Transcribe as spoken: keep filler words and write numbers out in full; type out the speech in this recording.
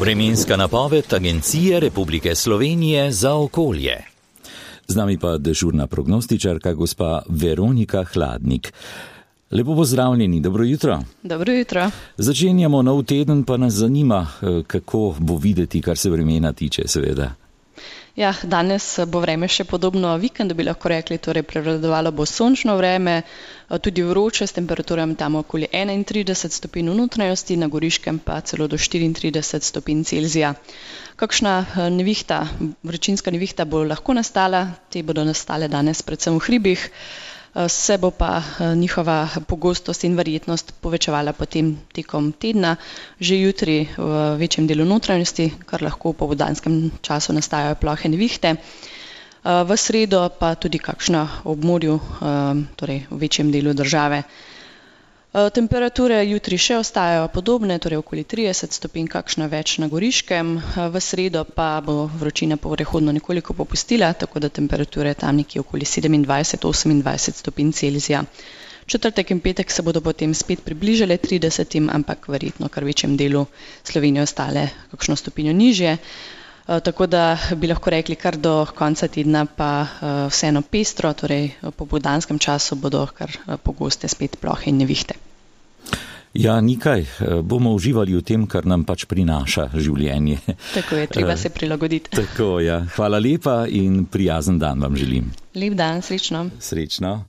Vremenska napoved Agencije Republike Slovenije za okolje. Z nami pa dežurna prognostičarka gospa Veronika Hladnik. Lepo pozdravljeni, dobro jutro. Dobro jutro. Začenjamo nov teden, pa nas zanima, kako bo videti, kar se vremena tiče, seveda. Ja, danes bo vreme še podobno vikendu, bi lahko rekli, torej prevladovalo bo sončno vreme, tudi vroče s temperaturami tam okoli enaintrideset stopinj v notranjosti, na Goriškem pa celo do štiriintrideset stopinj Celzija. Kakšna nevihta, vročinska nevihta bo lahko nastala, te bodo nastale danes predvsem v hribih, se bo pa njihova pogostost in verjetnost povečevala potem tekom tedna, že jutri v večjem delu notranjosti, kar lahko v popoldanskem času nastajajo plohe nevihte. V sredo pa tudi kakšna ob morju, torej v večjem delu države. Temperature jutri še ostajajo podobne, torej okoli trideset stopinj, kakšna več na Goriškem. V sredo pa bo vročina prehodno nekoliko popustila, tako da temperature tam nekje okoli sedemindvajset osemindvajset stopinj Celzija. Četrtek in petek se bodo potem spet približale tridesetim, ampak verjetno kar v večjem delu Slovenije ostale kakšno stopinjo nižje. Tako da bi lahko rekli kar do konca tedna pa vseeno pestro, torej po popoldanskem času bodo kar pogoste spet plohe in nevihte. Ja, nikaj, bomo uživali v tem, kar nam pač prinaša življenje. Tako je, treba se prilagoditi. Tako, ja. Hvala lepa in prijazen dan vam želim. Lep dan, srečno. Srečno.